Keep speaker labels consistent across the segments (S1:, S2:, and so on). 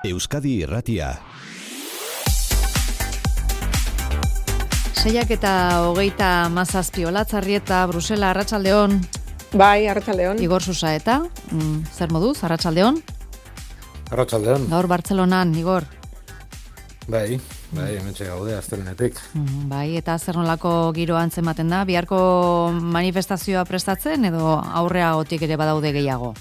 S1: Euskadi Irratia.
S2: 6:27 Olatzarrieta, Brusela, Arratsaldeon.
S3: Bai, Arratsaldeon.
S2: Igor Susaeta, zer moduz, Arratsaldeon?
S4: Arratsaldeon.
S2: Gaur Bartzelonan, Igor.
S4: Bai, hementxe gaude astelehenetik.
S2: Bai, eta zer nolako giro antzematen da? Biharko manifestazioa prestatzen edo aurreagotik ere badaude gehiago?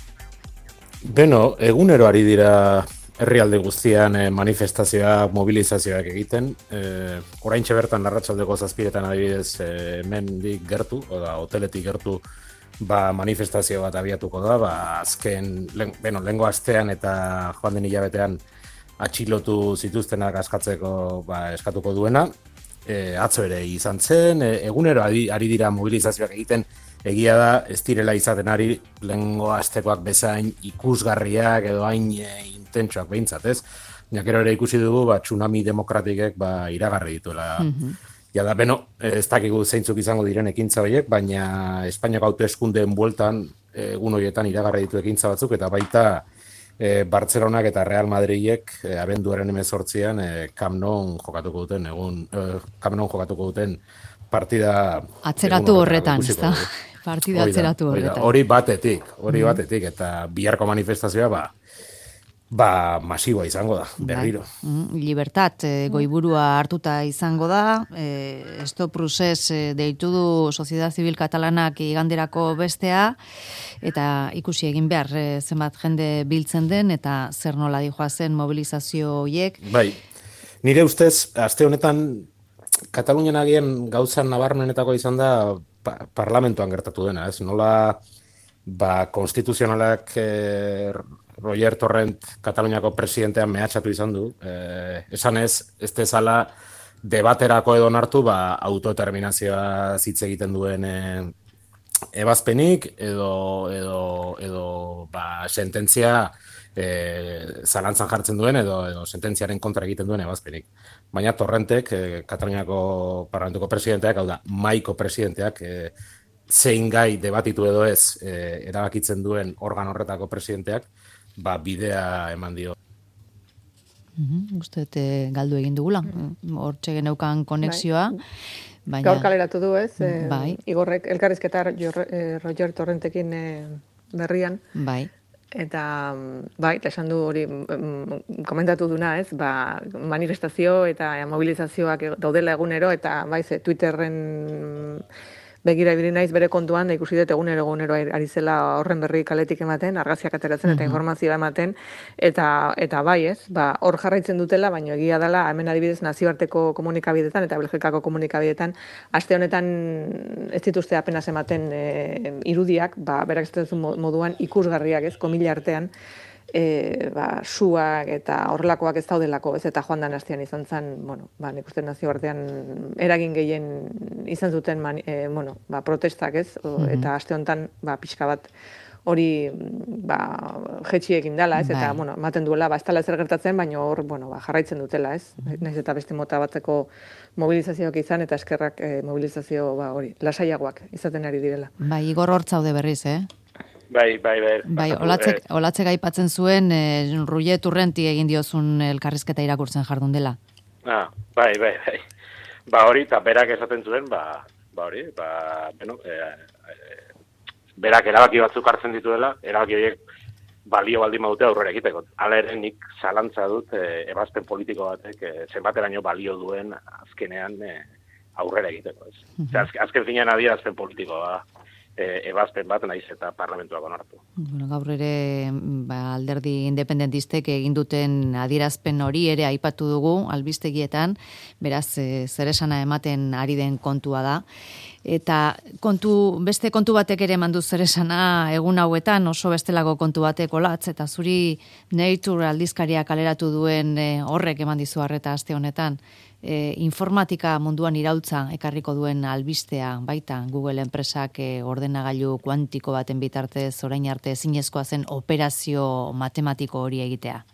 S4: Beno, egunero ari dira herrialde guztian manifestazioak, mobilizazioak egiten. Oraintxe bertan arratsaldeko 7:00 adibidez hemendik gertu, oda hoteletik gertu, manifestazio bat abiatuko da, azken, lehengo astean eta joan den hilabetean atxilotu zituztenak askatzeko eskatuko duena. Atzo ere izan zen, egunero ari dira mobilizazioak egiten, egia da, ez direla izaten ari lehengo astekoak bezain ikusgarriak edo hain intentsuak behintzat, ez? Gero ere ikusi dugu, tsunami demokratikek iragarri dituela. Ja da, ez dakigu zeintzuk izango diren ekintza horiek, baina Espainiako hauteskundeen bueltan egun horietan iragarri ditu ekintza batzuk, eta baita Bartzelonak eta Real Madridek abenduaren 18an Camp Nou jokatuko duten partida
S2: atzeratu horretan, ezta? Partida atzeratu horretan.
S4: Hori batetik, eta biharko manifestazioa masiboa izango da, berriro.
S2: Libertat, goiburua hartuta izango da, Stop Procés deitu du Sociedad Civil Katalanak iganderako bestea, eta ikusi egin behar zenbat jende biltzen den, eta zer nola dijoa zen mobilizazio horiek.
S4: Bai, nire ustez, aste honetan, Katalunian agian gauzan nabarmenetako izan da parlamentoan gertatu dena, ez? Nola, konstituzionalak Roger Torrent Kataluniako presidentean mehatxatu izan du, esan ez dezala debaterako edo nartu autodeterminazioa hitz egiten duen ebazpenik edo sententzia zalantzan jartzen duen edo sententziaren kontra egiten duen ebazpenik. Baina Torrentek, Kataluniako parlamentuko presidenteak, hau da, maiko presidenteak, zein gai debatitu edo ez erabakitzen duen organ horretako presidenteak, bidea eman dio.
S2: Uste galdu egin dugula, hortxe geneukan konexioa.
S3: Gaur kaleratu du ez, Igorrek elkarrizketa Roger Torrentekin berrian.
S2: Bai.
S3: Eta esan du hori komentatu duna ez, manifestazio eta mobilizazioak daudela egunero, eta Twitterren begira ibili naiz bere kontuan, da ikusi dut egunero ari zela horren berri kaletik ematen, argazkiak ateratzen eta informazioa ematen, eta hor jarraitzen dutela, baina egia dela, hemen adibidez nazioarteko komunikabidetan eta Belgikako komunikabidetan, aste honetan ez dituzte apenas ematen irudiak, berak ez dut moduan ikusgarriak ez, komila artean, suak eta horrelakoak ez daudelako, ez, eta joan dan astean izan zen, nik uste nazioartean eragin gehien izan zuten protestak, ez, eta aste honetan pixka bat hori jetxi egin dela, ez, eta ematen duela, ez dela ezer gertatzen, baina hor jarraitzen dutela, ez, nahiz eta beste mota batzeko mobilizazioak izan, eta eskerrak mobilizazio lasaiagoak izaten ari direla.
S2: Igor hortzaude berriz,
S5: Bai.
S2: Olatzek aipatzen zuen, Roger Torrenti egin diozun elkarrizketa irakurtzen jardun dela.
S5: Bai. Hori, eta berak esaten zuen, berak erabaki batzuk hartzen dituela, erabaki horiek balio baldin badute aurrera egiteko. Hala ere nik zalantza dut ebazpen politiko batek zenbateraino balio duen azkenean aurrera egiteko. Azken finean adierazpen politikoa ebazpen bat naiz eta parlamentuak onartu.
S2: Gaur ere alderdi independentistek egin duten adierazpen hori ere aipatu dugu albistegietan, beraz zer esana ematen ari den kontua da. Eta beste kontu batek ere eman du zer esana egun hauetan, oso bestelako kontu batek Olatz, eta zuri Nature aldizkaria kaleratu duen horrek eman dizu harreta aste honetan. Informatika munduan iraultza ekarriko duen albistea baita Google enpresak ordenagailu kuantiko baten bitartez orain arte ezinezkoa zen operazio matematiko hori egitea.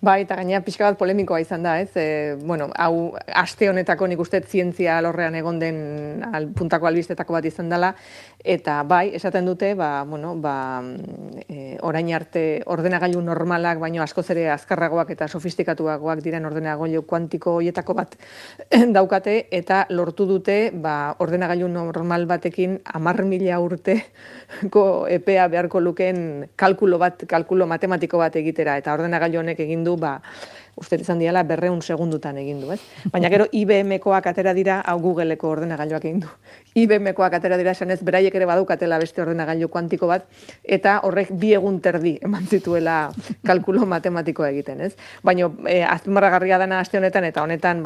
S3: Bai, eta gainera pixka bat polemikoa izan da, ez? Bueno, hau aste honetako nik uste zientzia alorrean egon den puntako albistetako bat izan dela, eta bai, esaten dute, orain arte ordenagailu normalak, baino askoz ere azkarragoak eta sofistikatuagoak diren ordenagailu kuantiko hoietako bat daukate, eta lortu dute, ordenagailu normal batekin 10.000 urteko epea beharko lukeen kalkulo matematiko bat egitera, eta ordenagailu honek egin du, uste izan diala 200 segundutan egin du, ez? Baina gero IBM-koak atera dira, hau Google-eko ordenagailuak egin du. IBM-koak atera dira esan ez, beraiek ere badukatela beste ordenagailu kuantiko bat, eta horrek 2 egun terdi eman zituela kalkulo matematikoa egiten, ez? Baina azpimarragarria dana aste honetan, eta honetan,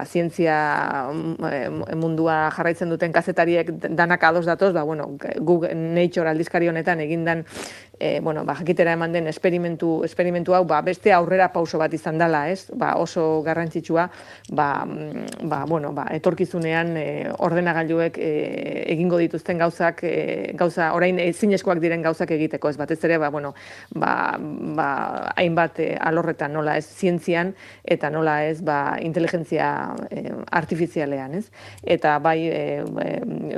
S3: zientzia mundua jarraitzen duten kazetariek danak ados datoz, Google Nature aldizkari honetan egindan jakitera eman den esperimentu hau, beste aurrera pauso bat izan dela, ez? Oso garrantzitsua, etorkizunean ordenagailuek egingo dituzten gauza orain ezinezkoak diren gauzak egiteko, ez batez ere, hainbat alorretan nola ez zientzian, eta nola ez inteligentzia artifizialean, ez? Eta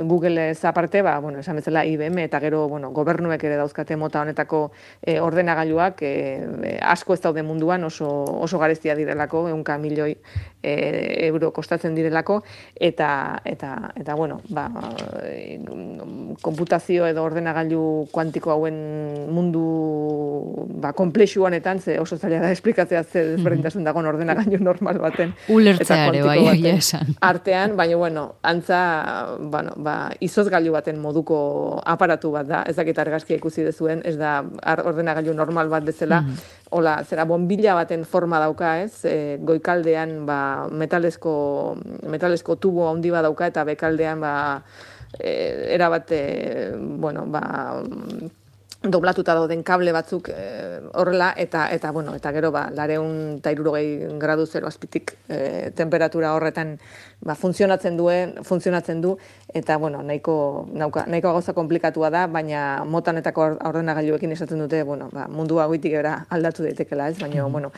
S3: Google ez aparte, esan bezala IBM, eta gero, gobernuek ere dauzkate mota honetako ordenagailuak asko ez daude munduan, oso garestia direlako, 100 milioi euro kostatzen direlako, eta konputazio edo ordenagailu kuantiko hauen mundu komplexu honetan, ze oso zaila da esplikatzea ze desberdintasun dagoen ordenagailu normal baten
S2: ulertzea ere bai esan
S3: artean, baina antza izozgailu baten moduko aparatu bat da, ez dakit argazkia ikusi dezuen, ez da ordenagailu normal bat bezala, hola, zera bombilla baten forma dauka, ez? Goikaldean metalesko tubo handi bat dauka, eta bekaldean erabat doblatuta dauden kable batzuk horrela, eta gero 260 gradu zero azpitik temperatura horretan funtzionatzen du, eta nahiko gauza komplikatua da, baina motanetako ordenagailuekin esaten dute, mundua goitik era aldatu daitekela, ez? Baina,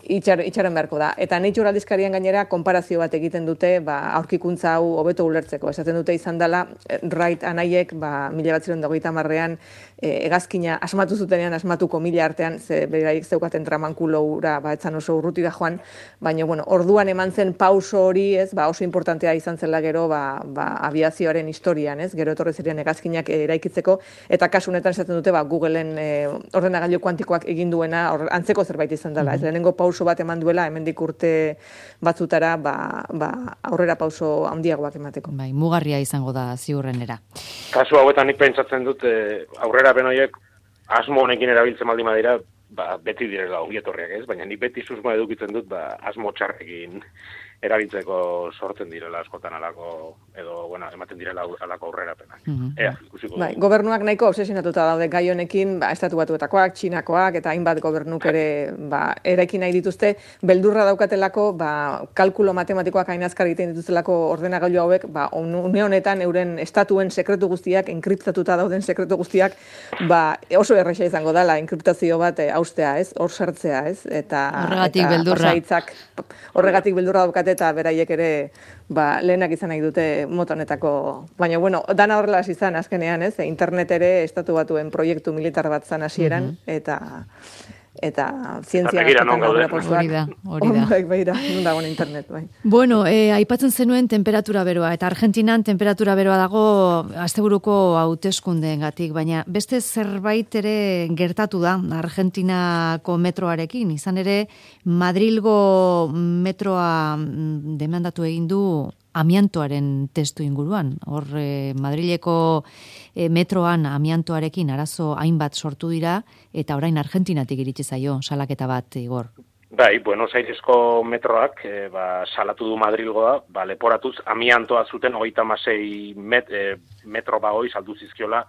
S3: itxaron beharko da. Eta Nature aldizkarian gainera konparazio bat egiten dute, aurkikuntza hau hobeto ulertzeko. Esaten dute izan dela, Wright anaiek, 1930ean hegazkina asmatu zutenean, asmatuko 1000 artean, ze beraik zeukaten tramankuloura, etzan oso urruti da joan, baina, orduan eman zen pauso hori, ez, oso importantea izan zela gero, aviazioaren historian, ez, gero etorri ziren hegazkinak eraikitzeko, eta kasu honetan esaten dute, Googleen ordenagailu kuantikoak egin duena, antzeko zerbait izan dela, ez, lehenengo pauso bat eman duela, hemendik urte batzutara, aurrera pauso handiagoak emateko.
S2: Mugarria izango da ziurrenera.
S5: Kasu hauetan nik pentsatzen dut, aurrera benoiek asmo honekin erabiltzen baldin badira, beti direla ongietorriak, ez? Baina nik beti susmoa edukitzen dut, asmo txarrekin erabiltzeko sortzen direla askotan alako, edo, ematen direla alako aurrerapenak. Ikusiko dugu.
S3: Gobernuak nahiko obsesionatuta daude gai honekin, Estatu Batuetakoak, Txinakoak, eta hainbat gobernuk ere eraiki nahi dituzte, beldurra daukatelako, kalkulo matematikoak hain azkar egiten dituztelako ordenagailu hauek, une honetan euren estatuen sekretu guztiak, enkriptatuta dauden sekretu guztiak, oso erresa izango dela, enkriptazio bat haustea, ez? Hor sartzea, ez? Eta horregatik beldurra daukate, eta beraiek ere lehenak izan nahi dute mota honetako. Baina, dana horrela izan azkenean, ez? Internet ere Estatu Batuen proiektu militar bat zan hasieran, eta zientzia
S2: hori da.
S3: Non dagoen internet, bai.
S2: Bueno, aipatzen zenuen temperatura beroa, eta Argentinan temperatura beroa dago asteburuko hauteskundeengatik, baina beste zerbait ere gertatu da Argentinako metroarekin, izan ere Madrilgo metroa demandatu egin du amiantoaren testu inguruan. Hor, Madrileko metroan amiantoarekin arazo hainbat sortu dira, eta orain Argentinatik iritsi zaio salaketa bat, Igor.
S5: Bai, Buenos Airesko metroak salatu du Madrilgoa, leporatuz amiantoa zuten 36 metro bagoi saldu zizkiola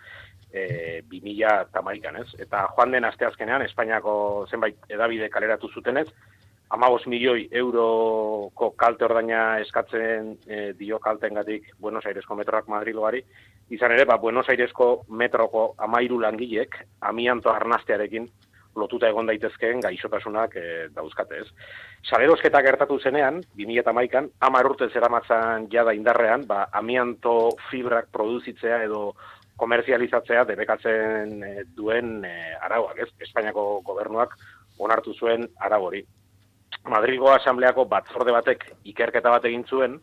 S5: 2011an, ez? Eta joan den asteazkenean, Espainiako zenbait hedabide kaleratu zutenez, 15 milioi euroko kalte ordaina eskatzen dio kalteengatik Buenos Airesko metroak Madrilgoari. Izan ere, Buenos Airesko metroko 13 langilek amianto arnastearekin lotuta egon daitezkeen gaixotasunak dauzkate, ez. Salerosketa gertatu zenean, 2011an, 10 urte zeramatzan jada indarrean, amianto fibrak produzitzea edo komerzializatzea debekatzen duen arauak, ez? Espainiako gobernuak onartu zuen arau hori. Madrilgo Asambleako batzorde batek ikerketa bat egin zuen,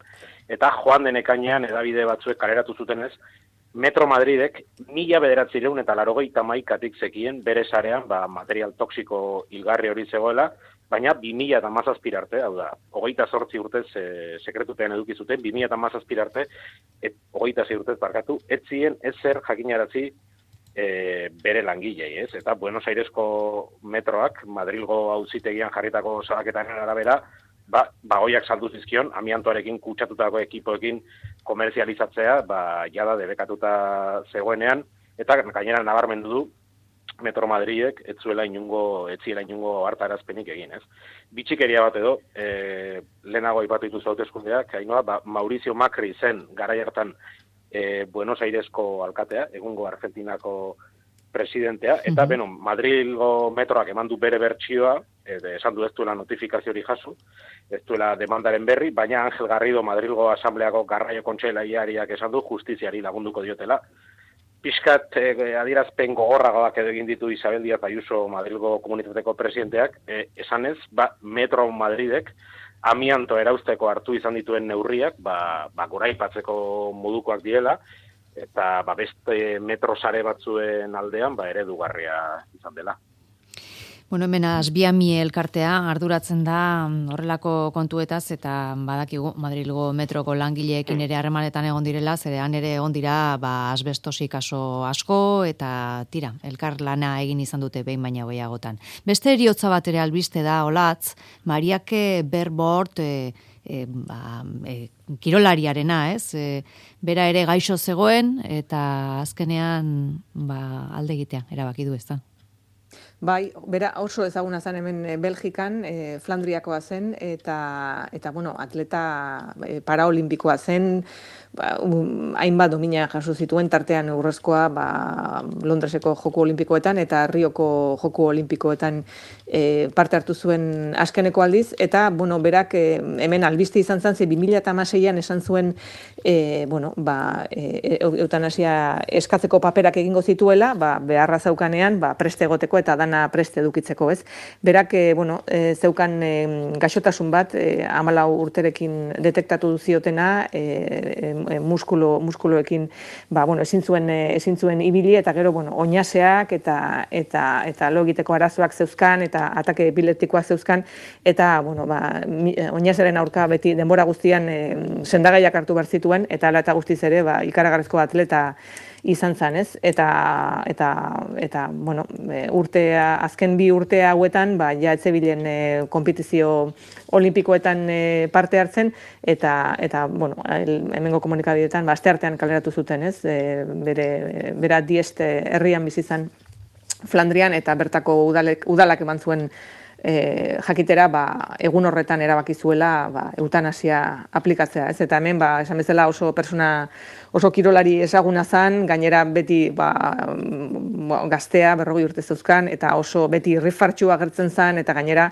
S5: eta joan den ekainean hedabide batzuek kaleratu zutenez, Metro Madridek 1991 zekien bere sarean material toxiko hilgarri hori zegoela, baina 2017 arte, hau da, 28 urtez sekretupean eduki zuten, 2017 arte, 26 urtez barkatu, ez zien ezer jakinarazi bere langilei, ez? Eta Buenos Airesko metroak, Madrilgo auzitegian jarritako salaketaren arabera, bagoiak saldu zizkion, amiantoarekin kutsatutako ekipoekin komerzializatzea, jada debekatuta zegoenean, eta gainera nabarmendu du, Metro Madridek ez ziela inungo hartarazpenik egin, ez? Bitxikeria bat edo, lehenago aipatu dituzu hauteskundeak, Mauricio Macri zen garai hartan Buenos Airesko alkatea, egungo Argentinako presidentea, eta Madrilgo metroak eman du bere bertsioa, esan du ez duela notifikaziorik jaso, ez duela demandaren berri, baina Ángel Garrido Madrilgo Asambleako garraio kontseilariak esan du justiziari lagunduko diotela. Piskat adierazpen gogorragoak edo egin ditu Isabel Díaz Ayuso Madrilgo komunitateko presidenteak, esanez, Metro Madridek amianto erausteko hartu izan dituen neurriak, goraipatzeko modukoak direla, eta beste metro sare batzuen aldean eredugarria izan dela.
S2: Bueno, hemen Asbiami elkartea arduratzen da horrelako kontuetaz eta badakigu Madrilgo metroko langileekin ere harremanetan egon direla, zerean ere egon dira asbestosi kaso asko eta tira, elkar lana egin izan dute behin baina gehiagotan. Beste eriotza bat ere albiste da, Olatz, Mariake Berbort kirolariarena, ez? Bera ere gaixo zegoen eta azkenean alde egitea erabaki du, ezta?
S3: Bai, bera oso ezaguna zen hemen Belgikan, Flandriakoa zen, eta atleta paraolimpikoa zen, hainbat domina jaso zituen, tartean urrezkoa Londreseko Joku Olimpikoetan eta Rioko Joku Olimpikoetan parte hartu zuen azkeneko aldiz, eta berak hemen albiste izan zen, 2016an esan zuen eutanasia eskatzeko paperak egingo zituela, beharra zeukanean, preste egoteko eta dana preste edukitzeko, ez? Berak, zeukan gaixotasun bat, 14 urterekin detektatu ziotena, muskuloekin, ezin zuen ibili, eta gero, oinaseak eta lo egiteko arazoak zeuzkan, eta atake epileptikoak zeuzkan, eta, oinaseren aurka beti denbora guztian sendagaiak hartu behar zituen, eta ala eta guztiz ere, ikaragarrizko atleta izan zan, ez? Eta azken 2 urte hauetan, ja etzebilen konpetizio olimpikoetan parte hartzen, eta hemengo komunikabideetan, asteartean kaleratu zuten, ez? Bera Diest herrian bizi izan Flandrian, eta bertako udalak eman zuen jakitera, egun horretan erabaki zuela eutanasia aplikatzea, ez? Eta hemen, esan bezala oso kirolari ezaguna zan, gainera beti gaztea, 40 urte zeuzkan, eta oso beti irrifartxu agertzen zan, eta gainera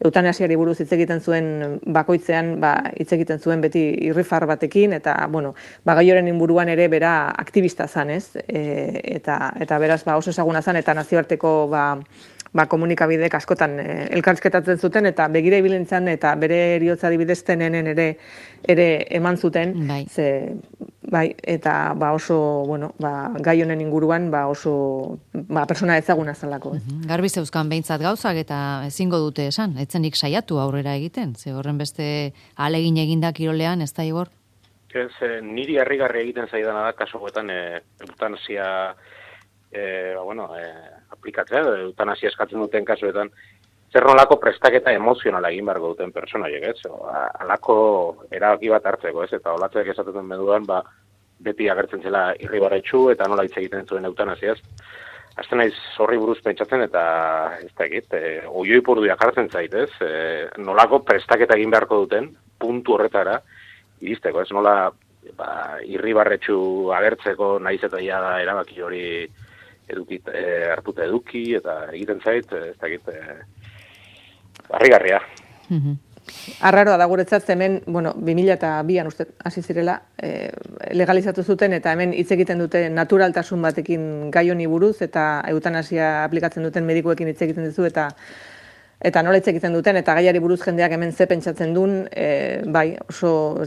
S3: eutanasiari buruz hitz egiten zuen bakoitzean, hitz egiten zuen beti irrifar batekin, eta, gai horren inguruan ere bera aktivista zan, ez? Eta beraz, oso ezaguna zan, eta nazioarteko komunikabidek askotan elkarrizketatzen zuten, eta begira ibilentzan, eta bere eriotza adibideztenen ere eman zuten, eta oso, gai honen inguruan, oso persona ezaguna zelako.
S2: Garbi zeuzkan behintzat gauzak, eta ezingo dute esan, etzenik saiatu aurrera egiten, ze horren beste ahalegin eginda kirolean, ez da, Igor?
S5: Niri harrigarri egiten zaidana da, kaso guetan, eutanasia, aplikatzea, eutanasia eskatzen duten kasuetan, zer nolako prestaketa emozionala egin beharko duten pertsonaiek, ez? Alako erabaki bat hartzeko, ez? Eta Olatzek esaten meduan, beti agertzen zela irribarretsu eta nola hitz egiten zuen eutanasiaz. Azten naiz horri buruz pentsatzen eta ez da egit, oioi porduak hartzen zait, ez? Nolako prestaketa egin beharko duten, puntu horretara, iristeko, ez? Nola irribarretsu agertzeko nahiz eta ia erabaki hori hartuta eduki, eta egiten zait, ez dakit, harrigarria.
S3: Arraroa da guretzat hemen, 2002an uste hasi zirela, legalizatu zuten eta hemen hitz egiten dute naturaltasun batekin gai honi buruz eta eutanasia aplikatzen duten medikuekin hitz egiten duzu eta nola hitz egiten duten eta gaiari buruz jendeak hemen ze pentsatzen duen, bai, oso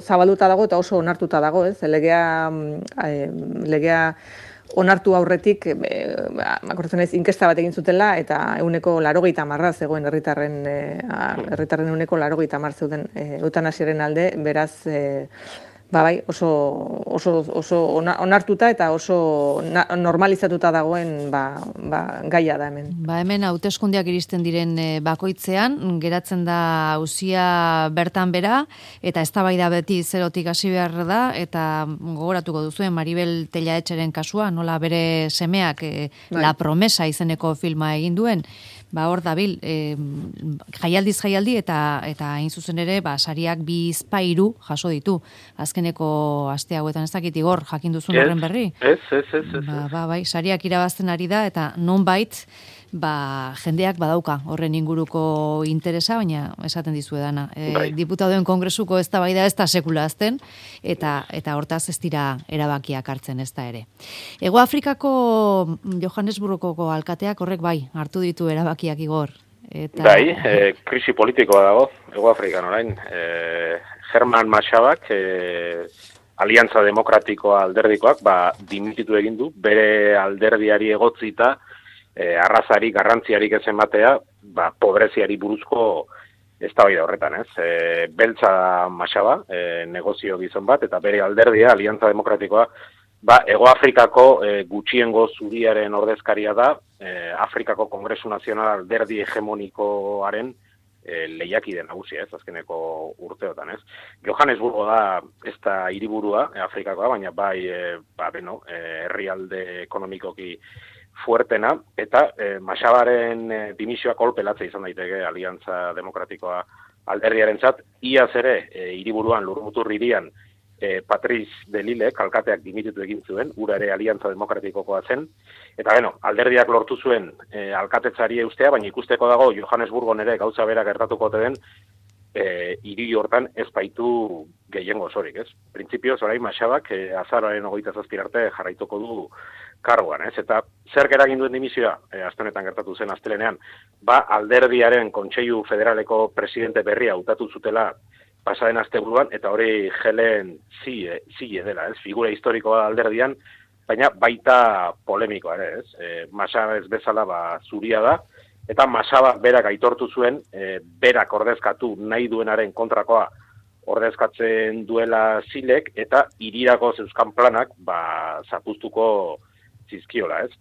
S3: zabalduta dago eta oso onartuta dago, ez? Legea onartu aurretik, akordatzen naiz, inkesta bat egin zutela, eta 80% zegoen herritarren 80% zeuden eutanasiaren alde, beraz, bai, oso onartuta eta oso normalizatuta dagoen gaia da hemen.
S2: Hemen hauteskundeak iristen diren bakoitzean, geratzen da auzia bertan bera, eta eztabaida beti zerotik hasi behar da, eta gogoratuko duzuen Maribel Tellaetxeren kasua, nola bere semeak La Promesa izeneko filma egin duen, hor dabil, jaialdiz jaialdi eta hain zuzen ere, sariak 2 jaso ditu. Azkeneko aste hauetan ez dakit Igor, jakin duzun horren berri?
S5: Ez.
S2: Bai, sariak irabazten ari da, eta nonbait, jendeak badauka horren inguruko interesa, baina esaten dizuedana. Diputaduen kongresuko eztabaida ez da sekula azten, eta hortaz ez dira erabakiak hartzen ez da ere. Hego Afrikako Johannesburgoko alkateak horrek hartu ditu erabakiak Igor.
S5: Bai, krisi politikoa dago, Hego Afrikan orain. Herman Mashabak, Aliantza Demokratikoa alderdikoak, dimititu egin du, bere alderdiari egotzita, arrazarik, garrantziarik ez ematea, pobreziari buruzko eztabaida horretan, ez? Beltza Mashaba, negozio gizon bat, eta bere alderdia, Aliantza Demokratikoa, Hego Afrikako gutxiengo zuriaren ordezkaria da, Afrikako Kongresu Nazional alderdi hegemonikoaren lehiakide nagusia, ez, azkeneko urteotan, ez. Johannesburgo da, ez da hiriburua Afrikakoa, baina herrialde ekonomikoki fuertena, eta Mashabaren dimisioa kolpelatze izan daiteke Aliantza Demokratikoa alderdiarentzat, iaz ere hiriburuan Lurmutur hirian Patrice de Lille, alkateak dimititu egin zuen, ura ere Aliantza Demokratikokoa zen, eta alderdiak lortu zuen alkatetzari eustea, baina ikusteko dago Johannesburgon ere gauza bera gertatuko den, hiri hortan ez baitu gehiengo osorik, ez? Printzipioz, orain Mashabak azaroaren 27 arte jarraituko du karguan, ez? Eta zer eragin duen dimisioa, aste honetan gertatu zen astelenean, alderdiaren Kontseilu Federaleko presidente berria hautatu zutela pasaden asteburuan, eta hori Helen Zille dela, ez? Figura historikoa alderdian, baina baita polemikoa ere, ez? Mashaba ez bezala zuria da, eta Mashaba berak aitortu zuen, berak ordezkatu nahi duenaren kontrakoa ordezkatzen duela Zillek, eta hirirako zeuzkan planak zapuztuko zizkiola, ez?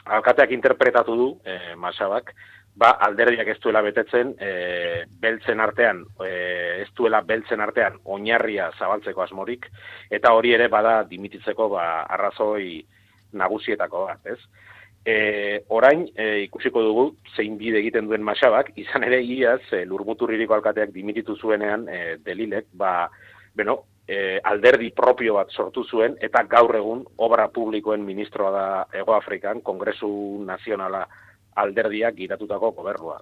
S5: Alkateak interpretatu du, Mashabak, alderdiak ez duela betetzen, beltzen artean oinarria zabaltzeko asmorik, eta hori ere dimititzeko arrazoi nagusietako bat, ez? Orain, ikusiko dugu, zein bide egiten duen Mashabak, izan ere iaz, Lurmutur hiriko alkateak dimititu zuenean, Delilek, alderdi propio bat sortu zuen, eta gaur egun obra publikoen ministroa da Hego Afrikan, Kongresu Nazionala alderdiak giratutako gobernua.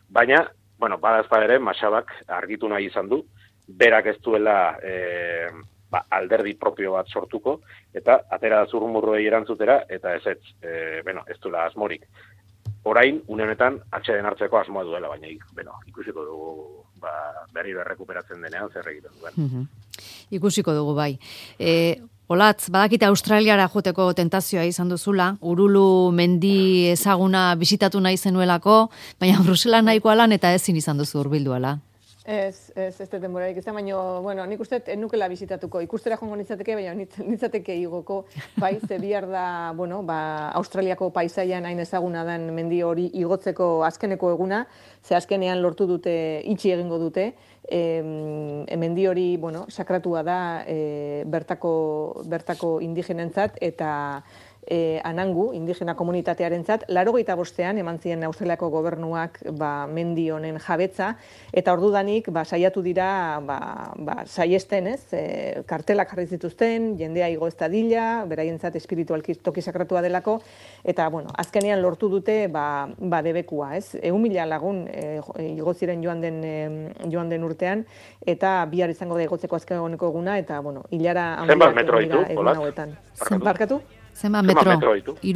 S5: Baina, badazpa ere, Mashabak argitu nahi izan du, berak ez duela alderdi propio bat sortuko, eta atera zurrumurruei erantzutera, eta ez duela asmorik. Orain, une honetan, atxeden hartzeko asmoa duela, baina ikusiko dugu berriro errekuperatzen denean zer egiten duen.
S2: Ikusiko dugu, bai. Olatz, badakite Australiara joteko tentazioa izan duzula, Urulu mendi ezaguna bisitatu nahi zenuelako, baina Brusela nahikoa lan eta ezin izan duzu hurbilduala.
S3: Ez denborarik izan, baina, nik uste nukela bisitatuko. Ikustera joango nintzateke, baina nintzateke igoko, ze bihar da, Australiako paisaian hain ezaguna den mendi hori igotzeko azkeneko eguna, ze azkenean lortu dute, itxi egingo dute, mendi hori, sakratua da bertako indigenentzat, eta Anangu, indigena komunitatearentzat, 85ean eman zien Australiako gobernuak mendi honen jabetza, eta ordudanik saiatu dira saiesten, kartelak jarri zituzten, jendea igo ez dadila, beraientzat espiritualki toki sakratua delako, eta azkenean lortu dute debekua, 100.000 lagun igo ziren joan den urtean, eta bihar izango da igotzeko azkeneko eguna, eta hilara
S5: handiak egun
S3: egun hauetan. Barkatu?
S2: Zenba metro?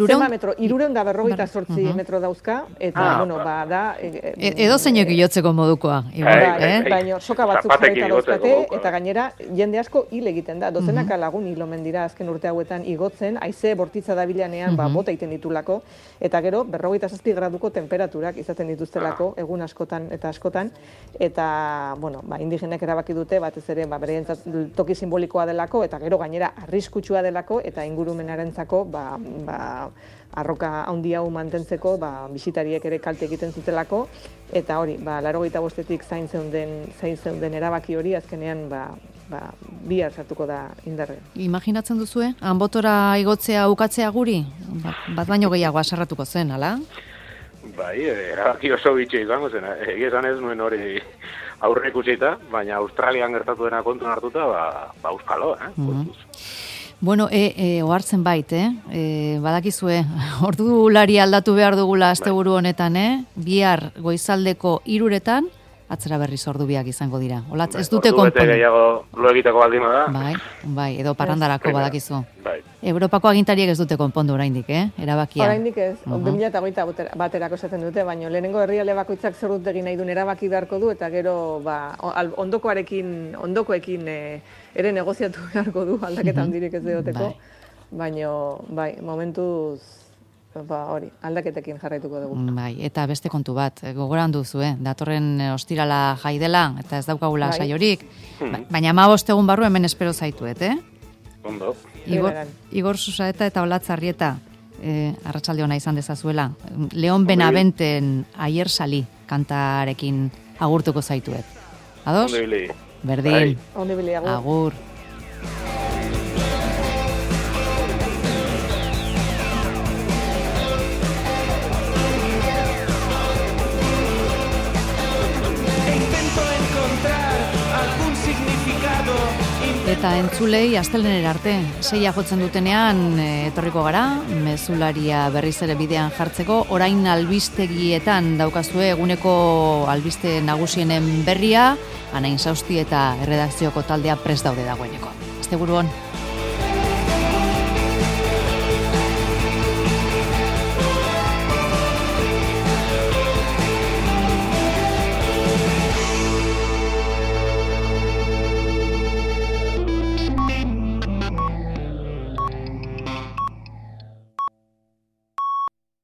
S3: Zenba metro? 258 metro dauzka, eta, da...
S2: Edo zeinek iotzeko modukoa, igual,
S3: baina soka batzuk jarrita dauzkate, eta gainera, jende asko hil egiten da. Dozenaka lagun hil omen dira azken urte hauetan igotzen, haize bortitza dabilanean bota iten ditulako, eta gero, 47 graduko temperaturak izaten dituztelako, egun askotan eta askotan, eta, indigenek erabaki dute, batez ere, bereientzat toki simbolikoa delako, eta gero gainera arriskutsua delako, eta ingurumenarentzako arroka handi hau mantentzeko bisitariek ere kalte egiten zutelako, eta hori, 85etik zain zeuden erabaki hori azkenean bihar sartuko da indarrean.
S2: Imaginatzen duzue, Anbotora igotzea ukatzea guri? Bat baino gehiago asarratuko zen, ala?
S5: Bai, erabaki oso bitxia izango zen, egizan ez nuen hori aurre ikusita, baina Australian gertatu dena kontun hartuta, euskalo,
S2: Bueno, ohartzen bait, badakizue, ordulari aldatu behar dugula asteburu honetan, bihar goizaldeko 3:00 atzera berriz ordubiak izango dira. Olatz, ez dute konpon.
S5: Ordu bete gehiago lo egiteko baldin da.
S2: Bai, edo parrandarako badakizu. Europako agintariek ez dute konpondu oraindik, erabakia.
S3: Oraindik ez, 2021 esaten dute, baina lehenengo herrialde bakoitzak zer dut egin nahi duen erabaki beharko du, eta gero ondokoekin ere negoziatu beharko du, aldaketa handirik ez duteko, baina momentuz hori, aldaketekin jarraituko dugu.
S2: Bai, eta beste kontu bat, gogoran duzu, datorren ostirala jai dela, eta ez daukagula saiorik, baina 15 egun barru hemen espero zaituet,
S5: Ondo.
S2: Igor Susaeta eta Olatz Arrieta, arratsalde ona izan dezazuela. Leon Benaventen Aier Sali kantarekin agurtuko zaituet. Ados? Berdin. Agur. Eta entzulei asteleenera arte, 6 jotzen dutenean etorriko gara, mezularia berriz ere bidean jartzeko, orain albistegietan daukazue eguneko albiste nagusienen berria, Anain Sausti eta erredakzioko taldea prest daude dagoeneko. Asteburu on.